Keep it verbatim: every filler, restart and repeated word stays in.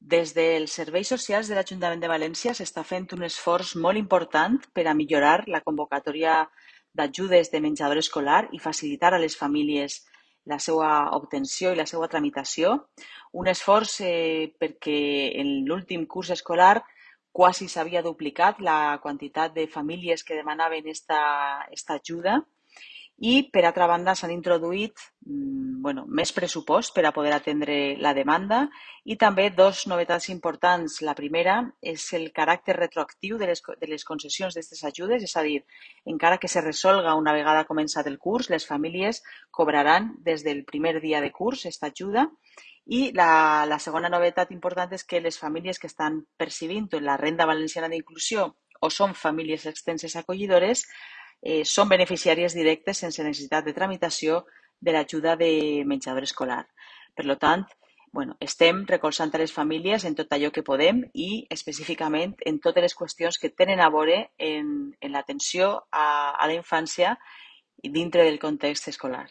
Des dels serveis socials de l'Ajuntament de València s'està fent un esforç molt important per a millorar la convocatòria d'ajudes de menjador escolar i facilitar a les famílies la seva obtenció i la seva tramitació. Un esforç eh, perquè en l'últim curs escolar quasi s'havia duplicat la quantitat de famílies que demanaven esta, esta ajuda i, per altra banda, s'han introduït mm, bueno, més pressupost per a poder atendre la demanda i també dos novetats importants. La primera és el caràcter retroactiu de les, de les concessions d'aquestes ajudes, és a dir, encara que se resolga una vegada començat el curs, les famílies cobraran des del primer dia de curs aquesta ajuda. I la, la segona novetat important és que les famílies que estan percibint la renda valenciana d'inclusió o són famílies extenses acollidores eh, són beneficiàries directes sense necessitat de tramitació de l'ajuda de menjador escolar. Per tant, bueno, estem recolzant a les famílies en tot allò que podem i específicament en totes les qüestions que tenen a veure en, en l'atenció a, a la infància dintre del context escolar.